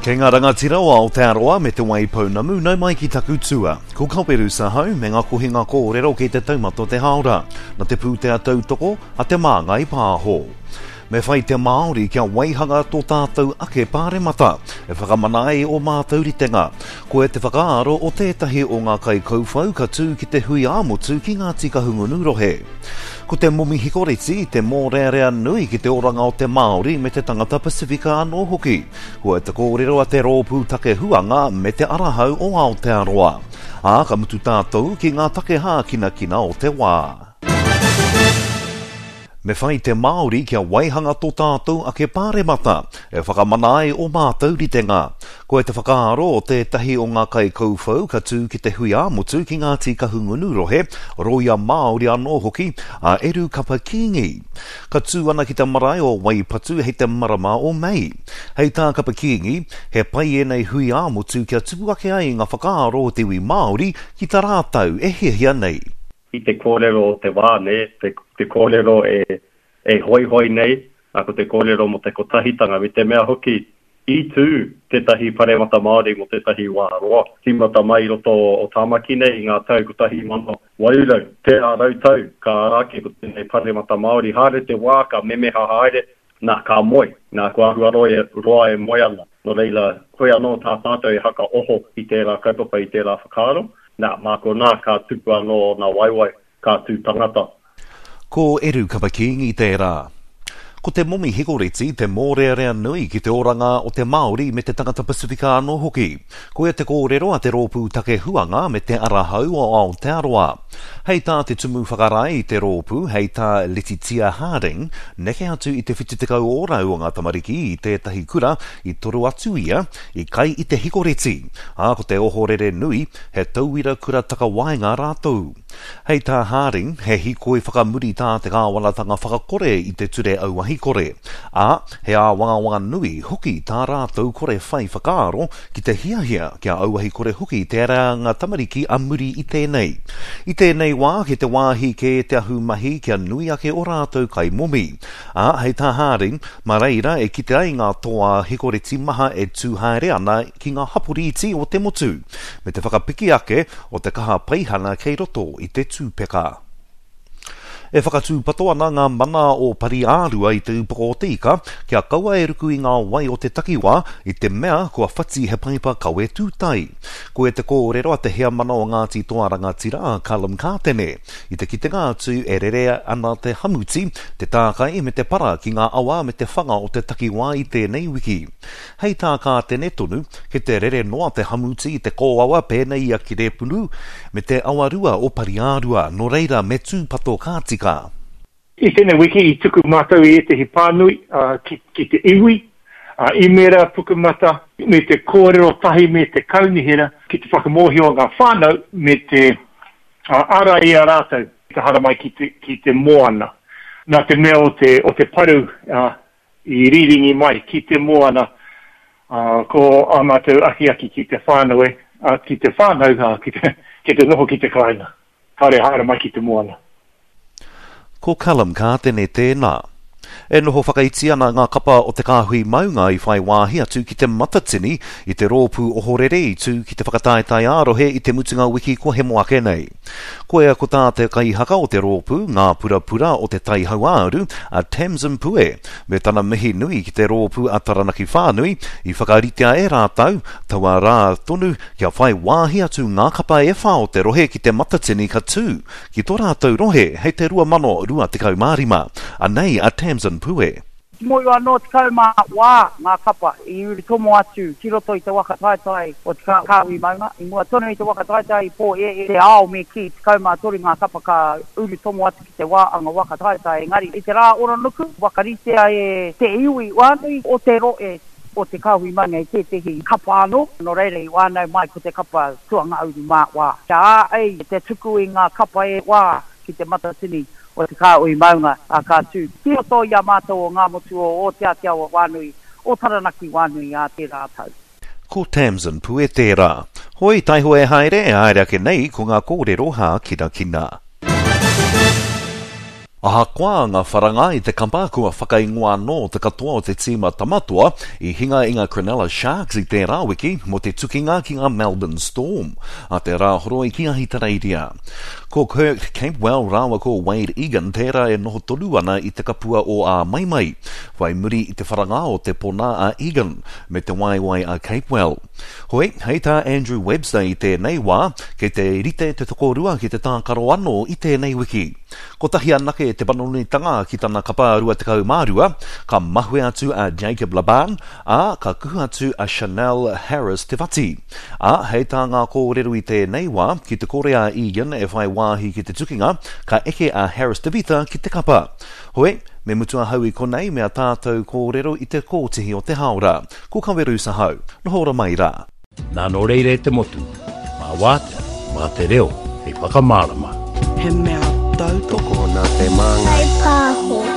Kei ngā rangatira o Aotearoa me Te Waipounamu nau mai ki taku tua. Ko Kaweru Sahau me ngā kohinga kōrero kei te taumata o te hāora, na te pūtea tautoko a Te Māngai Pāho. Me whai te Māori kia waihanga tō tātou ake pāremata e whakamana ai ō mātou ritenga. Koia te whakaaro o tētahi o ngā kaikauwhau ka tū ki te hui ā-motu ki Ngāti Kahungunu rohe. Ko te momi hikoreti te mōrearea nui ki te oranga o te Māori me te tangata Pasifika anō hoki. Koia te kōrero a te Rōpū Take Huanga me Te Arahau o Aotearoa. Ā, ka mutu tātou ki ngā take hākinakina o te wā. Me whai te Māori kia waihanga tō tātou ake pāremata e whakamana ai ō mātou ritenga. Koia te whakaaro o tētahi o ngā kaikauwhau ka tū ki te hui ā-motu ki Ngāti Kahungunu rohe, rōia Māori anō hoki, a Eru Kapa Kingi. Ka tū ana ki te marae o Waipatu hei te marama o Mei. Hei tā Kapa Kingi, he pai ēnei hui ā-motu kia tupu ake ai ngā whakaaro o te iwi Māori ki tā rātou e hiahia nei. I te kōrero o te wā, nē, te, te kōrero e, e hoihoi nei, ā, ko te kōrero mō te kotahitanga, me te mea hoki, i tū tētahi paremata Māori mō tētahi wā roa, tīmata mai i roto o Tāmaki nei i ngā tau 1800, tērā rautau ka ara ake ko tēnei paremata Māori, haere te wā ka memeha haere, nā, ka moe, nā, kua āhua roa e, roa e moe ana. Nō reira, koia anō tā tātou e hakaoho i tērā kaupapa, i tērā whakaaro, nā, mā konā ka tupu anō ōna waewae, ka tū tangata. Ko Eru Kapa-Kingi tērā. Ko te momi hikoreti te mōrearea nui ki te oranga o te Māori me te tangata Pasifika anō hoki. Koia te kōrero a te Rōpū Take Huanga me te Ara Hau o Aotearoa. Hei tā te Tumu Whakarae i te rōpū, hei tā Letitia Harding, neke atu i te 70 ōrau o ngā tamariki i tētahi kura i toro atu ia, i kai i te hikoreti, ā, ko te ohorere nui, he tauira kura takawaenga rātou. Hei tā Harding, he hīkoi whakamuri tā te kāwanatanga whakakore i te ture auahi kore, ā, he āwangawanga nui hoki tā rātou kore whai whakaaro ki te hiahia kia auahi kore hoki te reanga tamariki a muri i tēnei. I tēnei wā, ki te wāhi kē te ahumahi kia nui ake o rātou kaimomi. Ā, hei tā Harding, mā reira e kite ai ngā toa hikoreti maha e tū haere ana ki ngā hapori iti o te motu, me te whakapiki ake o te kaha paihana kei roto i te tūpeka. E whakatūpato ana ngā mana o Pari-ā-rua i te upoko o te ika kia kaua e ruku i ngā wai o te takiwā i te mea kua whati he paipa kawe tūtai. Koia te kōrero a te heamana o Ngāti Toa Rangatira a Callum Kātene i te kitenga atu e rere ana te hamuti, te tākai me te para ki ngā awa me te whanga o te takiwā i tēnei wiki. Hei tā Kātene tonu, kei te rere noa te hamuti i te kōawa pēnei i a Kerepunu me te awarua o Pariārua, nō reira me tūpato ka tika. I tēnei wiki i tuku mātou i ētehi pānui ki te iwi, īmēra, pukamata, me te kōrero tahi me te kaunihera ki te whakamōhio ngā whānau me te ārai i a rātou ki te haramai ki te moana. Nā te mea o te paru I riringi mai ki te moana, ā, ko ā mātou akiaki ki te whānau e, ā, ki te whānau, ā, ki te, ki te noho ki te kāinga. Kāore e haere mai ki te moana. Ko Callum Kātene tēnā. E noho whakaiti ana ngā kapa o Te Kāhui Maunga i whai wāhi atu ki te Matatini i te rōpū ohorere i tū ki te whakataetae ā-rohe i te mutunga wiki kua hemo ake nei. Koia ko tā te kaihaka o te rōpū, Ngā Purapura o Te Tai Hauāuru, a Tamsin Pue, me tana mihi nui ki te rōpū a Taranaki Whānui, i whakaritea e rātou, taua rā tonu, kia whai wāhi atu ngā kapa e whā o te rohe ki te Matatini ka tū ki tō rātou rohe hei te 2025. Anei a Tamsin Pue. Moe anō 14 ngā kapa i urutomo atu ki roto i te waka taetae o Te Kāhui Maunga. I mua tonu i te waka taetae i pōhēhē te ao me kī, 13 ngā kapa ka urutomo atu ki te wā anga waka taetae engari i te rā oronuku whakaritea e te iwi whānui o te rohe o Te Kāhui Maunga i tētehi kapa anō, nō reira i whānau mai ko te kapa tuangauru mā wā. Kia āhei te tuku i ngā kapa e wā ki Te Matatini o Te Kāhui Maunga, ā, ka tū ki roto i a mātou o Ngāmotu o o Te Ātiawa Wānui, o Taranaki Wānui ā tērā tau. Ko Tamsin Pue tērā. Hoi, taihoa e haere, e haere ake nei ko ngā kōrero hākinakina. Ahakoa ngā wharanga i te kapa kua whakaingoa anō te katoa o te tīma Tamatoa i hinga i ngā Cronulla Sharks i tērā wiki mō te tukinga ki ngā Melbourne Storm a te Rāhoroi ki Ahitereiria. Ko Kirk Capewell rāua ko Wade Egan tērā e noho tonu ana i te kapua o Āmaimai, whai muri i te wharanga o te pona a Egan me te waewae a Capewell. Hoi, hei tā Andrew Webster i tēnei wā, kei te rite te tokorua ki te tākaro anō i tēnei wiki. Kotahi anake te panonitanga ki tana kapa 22, ka mahue atu a Jacob Laban, ā, ka kuhu atu a Chanel Harris Te Whati. Ā, hei tā ngā kōrero i tēnei wā, ki te kore a Egan e whai wāhi ki te tukinga, ka eke a Harris Te Vita ki te kapa. Hoi, me mutu ahau i konei me a tātou kōrero i te kōtihi o te hāora. Ko Kawerusa hau. Noho ora mai rā. Nā nō reira e te motu, mā wātea, mā te reo hei whakamārama. He mea tautoko. Tokona te māngai. Kaipāho.